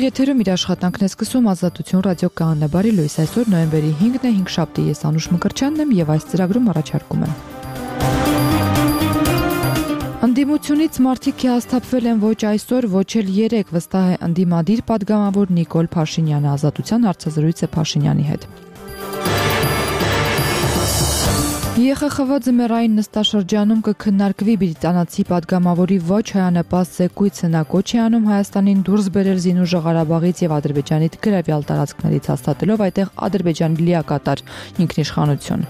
եթերում իր աշխատանքն է սկսում Ազատություն ռադիոկայանն է, բարի լույս, այսօր նոյեմբերի 5-ն է, 5 շաբթի, ես Անուշ Մկրտչյանն եմ եւ այս ծրագրում առաջարկում եմ։ Ընդդիմությունից մարդիկ հիասթափվել են ոչ այսօր, ոչ էլ երեկ, վստահ է ընդդիմադիր պատգամավոր Նիկոլ Փաշինյանը, Ազատության հարցազրույց է Փաշինյանի հետ։ ԵԽԽՎ ձմեռային նստաշրջանում կքննարկվի բրիտանացի պատգամավորի ոչ հայանպաստ զեկույցը, նա կոչ է անում Հայաստանին դուրս բերել Զինուժ Ղարաբաղից եւ Ադրբեջանի գրավյալ տարածքներից, հաստատելով այդտեղ Ադրբեջանի լիակատար ինքնիշխանություն։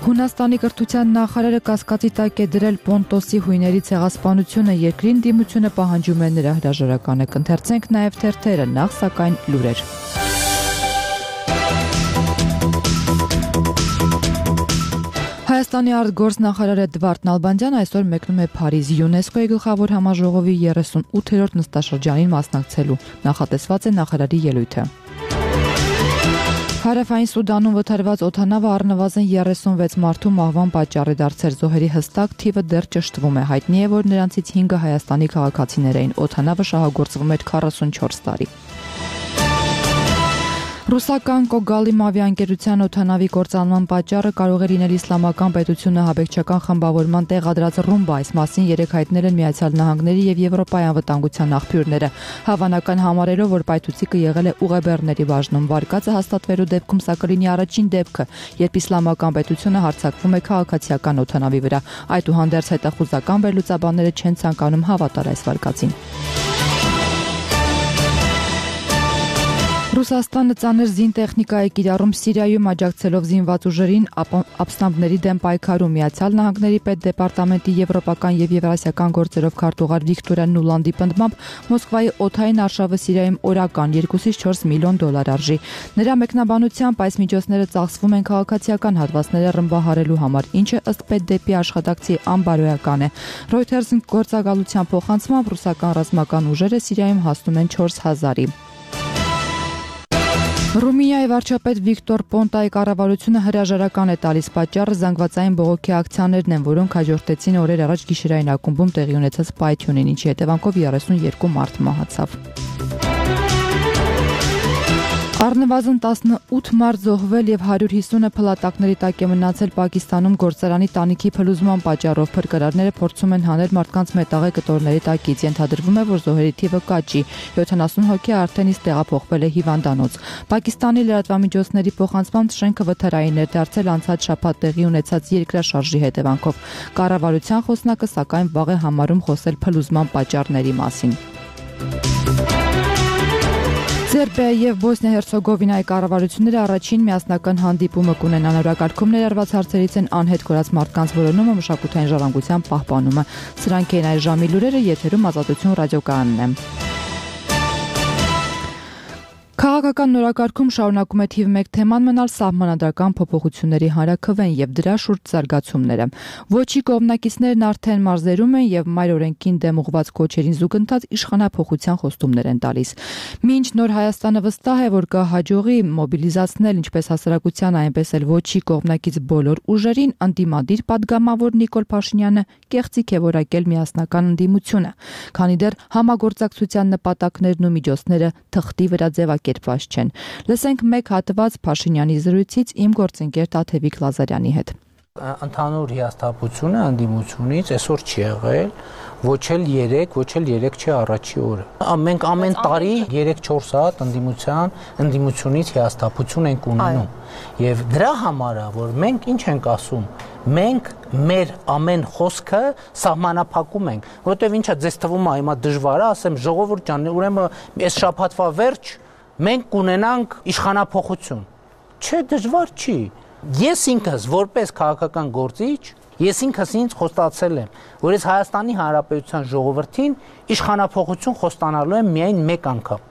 Հունաստանի կրթության նախարարը կասկածի տակ է դրել Պոնտոսի հույների ցեղասպանությունը, երկրի ընդդիմությունը պահանջում է նրա հրաժարականը, կընթերցենք նաեւ թերթերը, նախ սակայն լուրեր։ Հայաստանի արտգործնախարար Էդվարդ Նալբանդյանը այսօր մեկնում է Փարիզ ՅՈՒՆԵՍԿՕ-ի գլխավոր համաժողովի 38-րդ նստաշրջանին մասնակցելու, նախատեսված է նախարարի ելույթը։ Հարավային Սուդանում վթարված օդանավը առնվազն 36 մարդու մահվան պատճառ է դարձել, զոհերի հստակ թիվը դեռ ճշտվում է, հայտնի է, որ նրանցից 5-ը Հայաստանի քաղաքացիներ էին, օդանավը շահագործվում էր 44 տարի։ Ռուսական Կոգալիմ ավիաընկերության օդանավի կործանման պատճառը կարող է լինել իսլամական պետությունը հաբեկչական խմբավորման տեղադրած ռումբա, այս մասին երեկ հայտնել են Միացյալ Նահանգների եւ Եվրոպայի անվտանգության աղբյուրները, հավանական համարելով, որ պայթուցիկը եղել է ուղեբեռների բաժնում, վարկածը հաստատվելու դեպքում սա կլինի առաջին դեպքը, երբ իսլամական պետությունը հարձակվում է քաղաքացիական օդանավի վրա, այդուհանդերձ հետախուզական վերլուծաբանները չեն ցանկանում հավատալ այս վարկածին։ Ռուսաստանը ծանր զինտեխնիկա է կիրառում Սիրիայում աջակցելով զինված ուժերին ապստամբների դեմ պայքարում, Միացյալ Նահանգների պետդեպարտամենտի եվրոպական եւ եվրասիական գործերով քարտուղար Վիկտորիա Նուլանդի պնդմամբ Մոսկվայի օդային արշավը Սիրիայում օրական 2-ից 4 միլիոն դոլար արժի։ Նրա մեկնաբանությամբ այս միջոցները ծախսվում են քաղաքացիական հատվածները ռմբահարելու համար, ինչը ըստ պետդեպի աշխատակցի անբարոյական է։ Reuters-ին գործակալության փոխանցմամբ ռուսական ռազմական ուժերը Սիրիայում հասնում են 4000-ի։ Ռումինիայի վարչապետ Վիկտոր Պոնտայի կառավարությունը հրաժարական է տալիս, պատճառը զանգվածային բողոքի ակցիաներն են, որոնք հաջորդեցին օրեր առաջ գիշերային ակումբում տեղի ունեցած պայթյունին, ինչի հետևանքով 32 մարդ մահացավ։ Առնվազն 18 մարդ զոհվել եւ 150-ը փլատակների տակ է մնացել Պակիստանում գործարանի տանիքի փլուզման պատճառով, փրկարարները փորձում են հանել մարդկանց մետաղե կտորների տակից, ենթադրվում է, որ զոհերի թիվը կաճի, 70 հոգի արդեն իսկ տեղափոխվել է հիվանդանոց։ Պակիստանի լրատվամիջոցների փոխանցմամբ շենքը վթարային էր դարձել անցած շաբաթ տեղի ունեցած երկրաշարժի հետևանքով։ Կառավարության խոսնակը սակայն վաղ է համարում խոսել փլուզման պատճառների մասին։ Սերբիայի եւ Բոսնիա-Հերցեգովինայի կառավարությունները առաջին միասնական հանդիպումը կունենան, օրակարգում ներառված հարցերից են անհետ կորած մարդկանց որոնումը, մշակութային ժառանգության պահպանումը։ Սրանք են այս ժամի լուրերը, եթերում Ազատություն ռադիոկայանն է։ Քաղաքական նորակարգում շարունակում է թիվ 1 թեման մնալ սահմանադրական փոփոխությունների հանրաքվեն եւ դրա շուրջ զարգացումները։ Ոչի կողմնակիցներն արդեն մարզերում են եւ մայր օրենքին դեմ ուղղված կոչերին զուգընթաց իշխանափոխության խոստումներ են տալիս։ Մինչ նոր Հայաստանը վստահ է, որ կհաջողի մոբիլիզացնել ինչպես հասարակության, այնպես էլ ոչի կողմնակից բոլոր ուժերին, ընդդիմադիր պատգամավոր Նիկոլ Փաշինյանը կեղծիք է որակել միասնական ընդդիմությունը, քանի դեռ համագործակցության նպատակներն ու միջոցները թղթի վրա ձևակերպված չեն։ Լսենք մեկ հատված Փաշինյանի զրույցից իմ գործընկեր Տաթևիկ Լազարյանի հետ։ Ընդհանուր հիասթափությունը ընդդիմությունից այսօր չի եղել, ոչ էլ 3 չի առաջի օրը։ Մենք ամեն տարի 3-4 հատ ընդդիմությունից հիասթափություն ենք ունենում։ Եվ դրա համար է, որ մենք ինչ ենք ասում, մենք մեր ամեն խոսքը սահմանափակում ենք, որովհետև ինչա ձեզ թվում է հիմա դժվար է, ասեմ ժողովուրդ ջան, ուրեմն այս շաբաթվա վերջ մենք կունենանք իշխանափոխություն։ Չէ, դժվար չի։ Ես ինքս որպես քաղաքական գործիչ, ես ինքս ինձ խոստացել եմ, որ ես Հայաստանի Հանրապետության ժողովրդին իշխանափոխություն խոստանալու եմ միայն մեկ անգամ։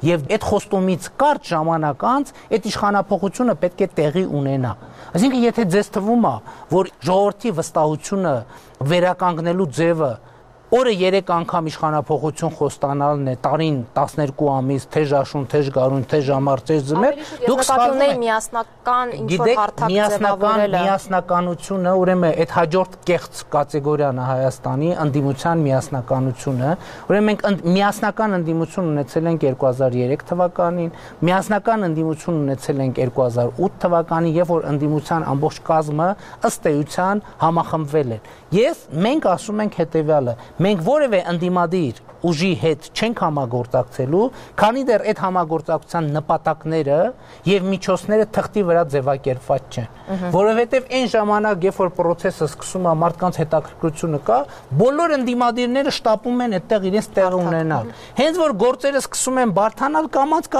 Եվ այդ խոստումից կարճ ժամանակ անց այդ իշխանափոխությունը պետք է տեղի ունենա։ Այսինքն եթե ձեզ թվում է, որ ժողովրդի վստահությունը վերականգնելու ձևը Օրը 3 անգամ իշխանափոխություն խոստանալն է, տարին 12 ամիս, թե ժաշուն, թե գարուն, թե ժամար, թե ձմեռ, դուք սխալվում եք միասնական ինչ-որ հարթակ ձևավորելը։ Միասնականությունը, ուրեմն այդ հաջորդ կեղծ կատեգորիան է Հայաստանի ընդդիմության միասնականությունը, ուրեմն մենք միասնական ընդդիմություն ունեցել ենք 2003 թվականին, միասնական ընդդիմություն ունեցել ենք 2008 թվականին, երբ որ ընդդիմության ամբողջ կազմը ըստ էության համախմբվել են։ Մենք ասում ենք հետևյալը. մենք որևէ ընդդիմադիր ուժի հետ չենք համագործակցելու, քանի դեռ այդ համագործակցության նպատակները եւ միջոցները թղթի վրա ձևակերպված չեն, որովհետեւ այն ժամանակ, երբ որ process-ը սկսում է, մարդկանց հետաքրքրությունը կա, բոլոր ընդդիմադիրները շտապում են այդտեղ իրենց տեղը ունենալ։ Հենց որ գործերը սկսում են բարթանալ, կամած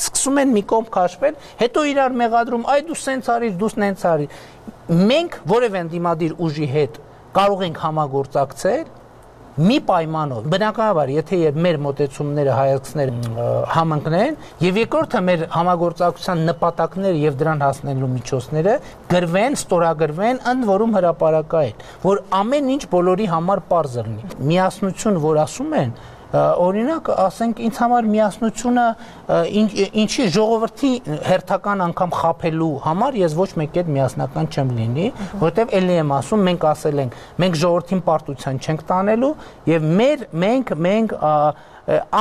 սկսում են մի կողմ քաշվել, հետո իրար մեղադրում, այ դու սենց արիր, դու նենց արիր։ Մենք որևէ ընդդիմադիր ուժի հետ կարող ենք համագործակցել մի պայմանով, բնականաբար, եթե մեր մոտեցումները հայացքները համընկնեն, եւ երկրորդը մեր համագործակցության նպատակները եւ դրան հասնելու միջոցները գրվեն, ստորագրվեն, ընդ որում հրապարակային, որ ամեն ինչ բոլորի համար պարզ լինի։ Միասնություն, որ ասում են, օրինակ, ասենք, ինձ համար միասնությունը ինչի ժողովրդի հերթական անգամ խաբելու համար ես ոչ մեկ այդ միասնական չեմ լինի, որտեվ ելի եմ ասում, մենք ասել ենք, մենք ժողովրդին պարտության չենք տանելու եւ մենք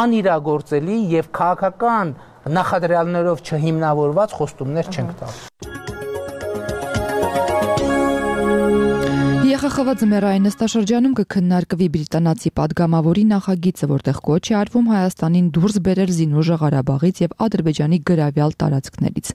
անիրագործելի եւ քաղաքական նախադրյալներով չհիմնավորված խոստումներ չենք տալու։ ԵԽԽՎ ձմեռային նստաշրջանում կքննարկվի բրիտանացի падգամավորի նախագիծը, որտեղ կոչ է արվում Հայաստանին դուրս բերել զինուժը Ղարաբաղից եւ Ադրբեջանի գրավյալ տարածքներից։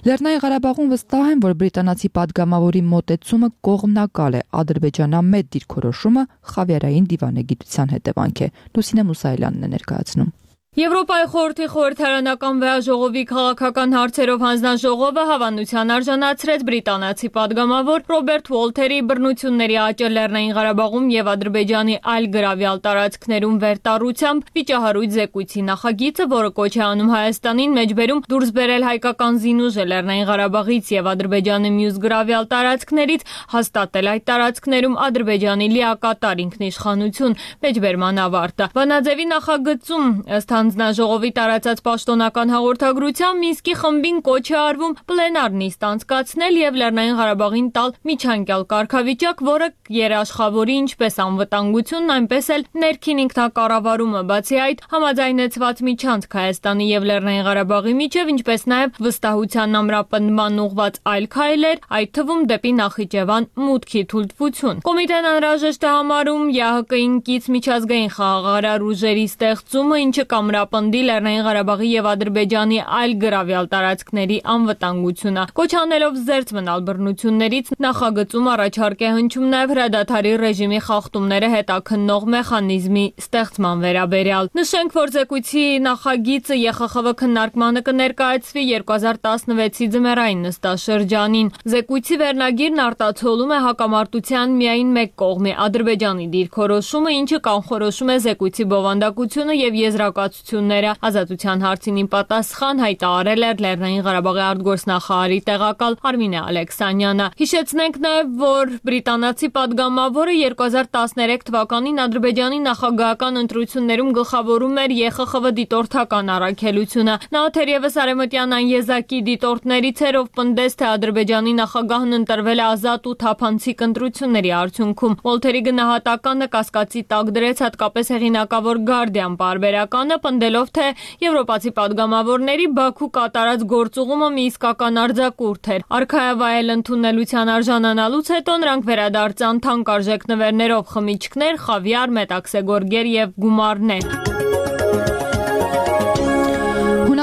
Լեռնային Ղարաբաղում վստահ են, որ բրիտանացի падգամավորի մոտեցումը կողմնակալ է, Ադրբեջանամետ դիրքորոշումը խավիարային դիվանագիտության հետևանք է։ Լուսինե Մուսայելյանն է ներկայացնում։ Եվրոպայի խորհրդի խորհրդարանական վեաժողովի քաղաքական հարցերով հանձնաժողովը հավանության արժանացրեց բրիտանացի падգամավոր Ռոբերտ Ուոլթերի բռնությունների աճը Լեռնային Ղարաբաղում եւ Ադրբեջանի այլ գրավյալ տարածքներում վերտառությամբ վիճահարույց զեկույցի նախագիծը, որը կոչ է անում Հայաստանին մեջբերում դուրս բերել հայկական զինուժը Լեռնային Ղարաբաղից եւ Ադրբեջանի մյուս գրավյալ տարածքներից, հաստատել այդ տարածքներում Ադրբեջանի լիակատար ինքնիշխանություն, մեջբերման ավարտը։ Վանաձևի նախագծում ըստ հանձնաժողովի տարածած պաշտոնական հաղորդագրությամբ Մինսկի խմբին կոչ է արվում պլենար նիստ անցկացնել եւ Լեռնային Ղարաբաղին տալ միջանկյալ կարգավիճակ, որը երաշխավորի ինչպես անվտանգությունն, այնպես էլ ներքին ինքնակառավարումը, բացի այդ համաձայնեցված միջանցք Հայաստանի եւ Լեռնային Ղարաբաղի միջև, ինչպես նաեւ վստահության ամրապնդման ուղղված այլ քայլեր, այդ թվում դեպի Նախիջևան մուտքի թույլտվություն։ Կոմիտեն անհրաժեշտ է համարում ԵԱՀԿ-ին կից միջազգային խաղաղարար ուժերի ստեղծումը, ինչը կամրապնդի Լեռնային Ղարաբաղի եւ Ադրբեջանի այլ գրավյալ տարածքների անվտանգությունը։ Կոչ անելով զերծ մնալ բռնություններից, նախագծում առաջարկ է հնչում նաեւ հրադադարի ռեժիմի խախտումները հետաքննող մեխանիզմի ստեղծման վերաբերյալ։ Նշենք, որ զեկույցի նախագիծը ԵԽԽՎ քննարկմանը կներկայացվի 2016-ի ձմեռային նստաշրջանին։ Զեկույցի վերնագիրն արտացոլում է հակամարտության միայն մեկ կողմի Ադրբեջանի դիրքորոշումը, ինչը կանխորոշում է զեկույցի բովանդակությունը եւ եզրակացությունները։ Ազատության հարցին պատասխան հայտարարել էր Լեռնային Ղարաբաղի արտգործնախարարի տեղակալ Արմինե Ալեքսանյանը։ Հիշեցնենք նաև, որ բրիտանացի падգամավորը 2013 թվականին Ադրբեջանի նախագահական ընտրություններում գլխավորում էր ԵԽԽՎ դիտորդական առաքելությունը։ Նա թերևս արևմտյան անեզակի դիտորդներից էր, ով պնդեց, թե Ադրբեջանի նախագահն ընտրվել է ազատ ու թափանցիկ ընտրությունների արդյունքում։ Ուոլթերի գնահատականը կասկածի տակ դրեց հատկապես հեղինակավոր Guardian պարբերականը, պնդելով, թե եվրոպացի падգամավորների Բաքու կատարած գործուղումը մի իսկական արձակուրդ էր։ Արքայավայել ընդունելության արժանանալուց հետո նրանք վերադարձան թանկարժեք նվերներով խմիչքներ, խավիար, մետաքսե գորգեր եւ գումարներ։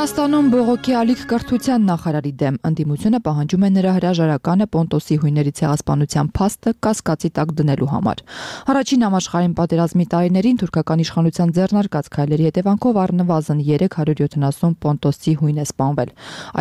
Հունաստանում բողոքի ալիք կրթության նախարարի դեմ ընդդիմությունը պահանջում է նրա հրաժարականը Պոնտոսի հույների ցեղասպանության փաստը կասկածի տակ դնելու համար։ Առաջին համաշխարհային պատերազմի տարիներին թուրքական իշխանության ձեռնարկած քայլերի հետևանքով առնվազն 370 Պոնտոսի հույն է սպանվել։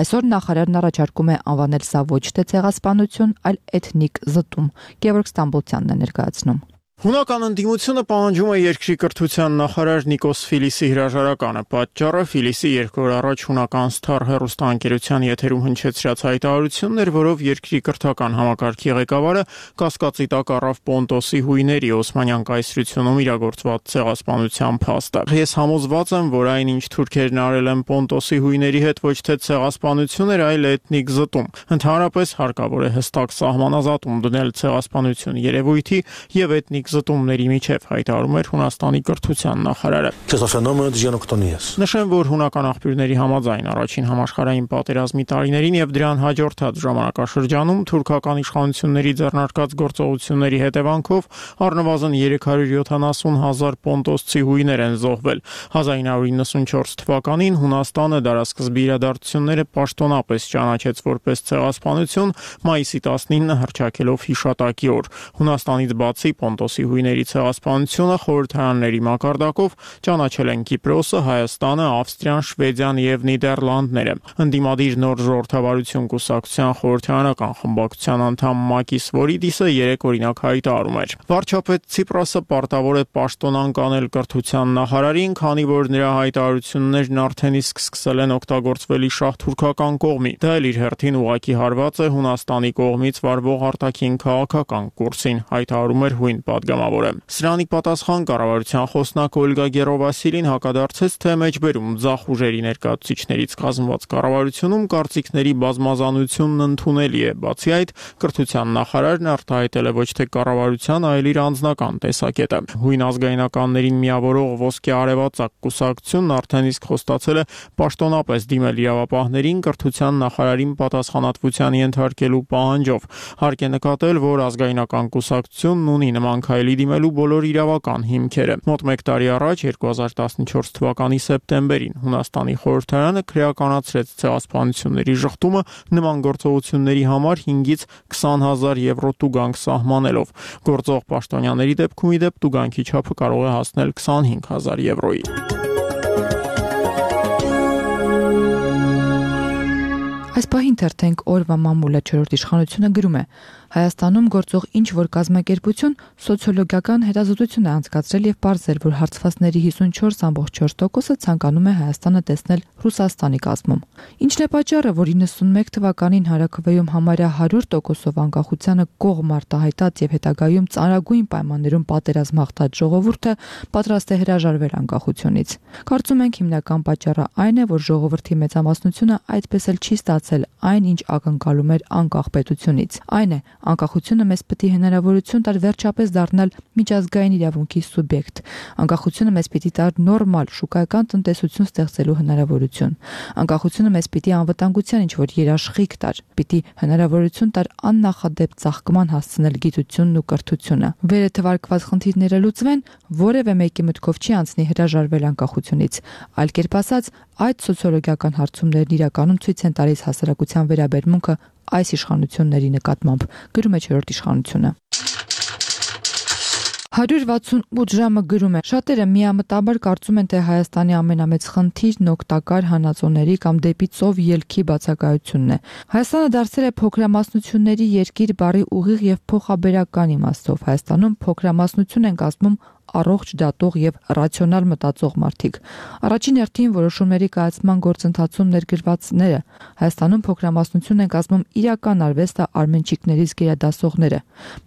Այսօր նախարարն առաջարկում է անվանել սա ոչ թե ցեղասպանություն, այլ էթնիկ զտում։ Գևորգ Ստամբոլցյանն է ներկայացնում։ Հունական ընդդիմությունը պահանջում է երկրի կրթության նախարար Նիկոս Ֆիլիսի հրաժարականը։ Պատճառը Ֆիլիսի 2 օր առաջ հունական Star հեռուստաընկերության եթերում հնչեցրած հայտարարությունն էր, որով երկրի կրթական համակարգի ղեկավարը կասկածի տակ առավ Պոնտոսի հույների Օսմանյան կայսրությունում իրագործված ցեղասպանության փաստը։ Ես համոզված եմ, որ այն, ինչ թուրքերն արել են Պոնտոսի հույների հետ, ոչ թե ցեղասպանություն էր, այլ էթնիկ զտում։ Ընդհանրապես հարկավոր է հստակ սահմանազատում դնել ցեղասպանություն երևույթի եւ էթնիկ զտումների միջև, հայտարարում էր Հունաստանի կրթության նախարարը։ Նշեմ, որ հունական աղբյուրների համաձայն առաջին համաշխարհային պատերազմի տարիներին եւ դրան հաջորդած ժամանակաշրջանում թուրքական իշխանությունների ձեռնարկած գործողությունների հետևանքով առնվազն 370,000 պոնտոսցի հույներ են զոհվել։ 1994 թվականին Հունաստանը դարասկզբի իրադարձությունները պաշտոնապես ճանաչեց որպես ցեղասպանություն, մայիսի 19-ը հռչակելով հիշատակի օր։ Հունաստանից բացի Պոնտոսի հույների ցեղասպանությունը խորհրդարանների մակարդակով ճանաչել են Կիպրոսը, Հայաստանը, Ավստրիան, Շվեդիան եւ Նիդերլանդները։ Ընդդիմադիր նոր ժողովրդավարություն կուսակցության խորհրդարանական խմբակցության անդամ Մակիս Վորիդիսը 3 օրինակ հայտարարում էր. Վարչապետ Ցիպրասը պարտավոր է պաշտոնան կանել կրթության նախարարին, քանի որ նրա հայտարարություններն արդեն իսկ սկսել են օգտագործվել շահ թուրքական կողմի։ Դա էլ իր հերթին ուղղակի հարված է Հունաստանի կողմից վարվող արտաքին քաղաքական կուրսին, հայտարարում էր հույն պատգամավորը։ Սրանի պատասխան կառավարության խոսնակ Օլգա Գերովասիլին հակադարձեց, թե մեջբերում ձախ ուժերի ներկայացուցիչներից կազմված կառավարությունում կարծիքների բազմազանությունն ընդունելի է։ Բացի այդ, կրթության նախարարն արտահայտել է ոչ թե կառավարության, այլ իր անձնական տեսակետը։ Հույն ազգայնականներին միավորող ոսկե արևածագ կուսակցությունն արդեն իսկ խոստացել է պաշտոնապես դիմել իրավապահներին կրթության նախարարին պատասխանատվության ենթարկելու պահանջով։ Հարկ է նկատել, որ ազգայնական կուսակցությունն ունի նման քայլի դիմելու բոլոր իրավական հիմքերը։ Մոտ 1 տարի առաջ 2014 թվականի սեպտեմբերին Հունաստանի խորհրդարանը քրեականացրեց ցեղասպանությունների ժխտումը նման գործողությունների համար 5-ից 20,000 եվրո տուգանք սահմանելով։ Գործող պաշտոնյաների դեպքում ի դեպ տուգանքի չափը կարող է հասնել 25,000 եվրոյի։ Այս պահին թերթենք օրվա մամուլը 4-րդ իշխանությունը գրում է. Հայաստանում գործող ինչ որ կազմակերպություն սոցիոլոգիական հետազոտություն է անցկացրել եւ պարզել, որ հարցվածների 54.4%-ը ցանկանում է Հայաստանը տեսնել Ռուսաստանի կազմում։ Ինչն է պատճառը, որ 91 թվականին Հարաքվեում համարյա 100%-ով անկախությանը կողմ արտահայտած եւ հետագայում ծանրագույն պայմաններում պատերազմ հաղթած ժողովուրդը պատրաստ է հրաժարվել անկախությունից։ Կարծում ենք հիմնական պատճառը այն է, որ ժողովրդի մեծամասնությունը այդպես էլ չի ստացել այն, ինչ ակնկալում էր անկախ պետությունից։ Այն է, անկախությունը մեզ պիտի հնարավորություն տար վերջապես դառնալ միջազգային իրավունքի սուբյեկտ։ Անկախությունը մեզ պիտի տար նորմալ շուկայական տնտեսություն ստեղծելու հնարավորություն։ Անկախությունը մեզ պիտի անվտանգության ինչ-որ երաշխիք տար, պիտի հնարավորություն տար աննախադեպ ծաղկման հասցնել գիտությունն ու կրթությունը։ Վերը թվարկված խնդիրները լուծվեն, որևէ մեկի մտքով չի անցնի հրաժարվել անկախությունից։ Այլ կերպ ասած, այդ սոցիոլոգիական հարցումներն իրականում ցույց են տալիս հասարակության վերաբերմունքը այս իշխանությունների նկատմամբ, գրում է 4-րդ իշխանությունը։ 168 ժամը գրում է. Շատերը միամտաբար կարծում են, թե Հայաստանի ամենամեծ խնդիրն օգտակար հանածոների կամ դեպի ծով ելքի բացակայությունն է։ Հայաստանը դարձել է փոքրամասնությունների երկիր բառի ուղիղ եւ փոխաբերական իմաստով։ Հայաստանում փոքրամասնություն են կազմում առողջ դատող եւ ռացիոնալ մտածող մարդիկ։ Առաջին հերթին որոշումների կայացման գործընթացում ներգրավվածները Հայաստանում փոքրամասնություն են կազմում իրական արվեստը արմենչիկներից գերադասողները։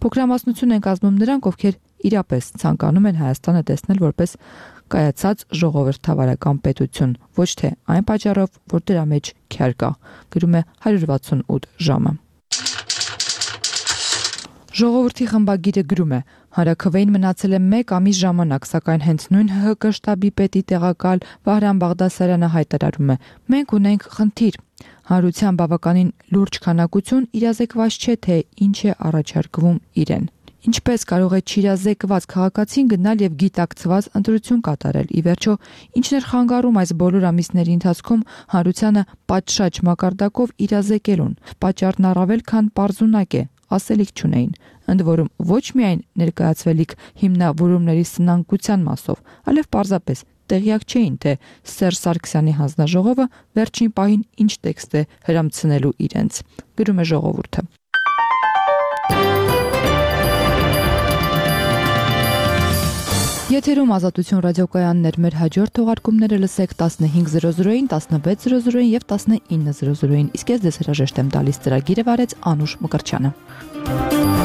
Փոքրամասնություն են կազմում նրանք, ովքեր իրապես ցանկանում են Հայաստանը տեսնել որպես կայացած ժողովրդավարական պետություն, ոչ թե այն պատճառով, որ դրա մեջ քյար կա, գրում է 168 ժամը։ Ժողովրդի խմբագիրը գրում է. Հարաքվեին մնացել է 1 ամիս ժամանակ, սակայն հենց նույն ՀՀԿ շտաբի պետի տեղակալ Վահրամ Բաղդասարյանը հայտարարում է. մենք ունենք խնդիր։ Հանրության բավականին լուրջ քանակություն իրազեկված չէ, թե ինչ է առաջարկվում իրեն։ Ինչպես կարող է չիրազեկված քաղաքացին գնալ եւ գիտակցված ընտրություն կատարել։ Ի վերջո, ինչն էր խանգարում այս բոլոր ամիսների ընթացքում հանրությանը պատշաճ մակարդակով իրազեկելուն։ Պատճառն առավել քան պարզունակ է, ասելիք չունեին։ Ընդ որում ոչ միայն ներկայացվելիք հիմնավորումների սնանկության մասով, այլև պարզապես տեղյակ չէին, թե Սերժ Սարգսյանի հանձնաժողովը վերջին պահին ինչ տեքստ է հրամցնելու իրենց, գրում է Ժողովուրդը։ Եթերում Ազատություն ռադիոկայաններ, մեր հաջորդ թողարկումները լսեք 15:00-ին, 16:00-ին եւ 19:00-ին։ Իսկ ես ձեզ հրաժեշտ եմ տալիս, ծրագիրը վարեց Անուշ Մկրտչյանը։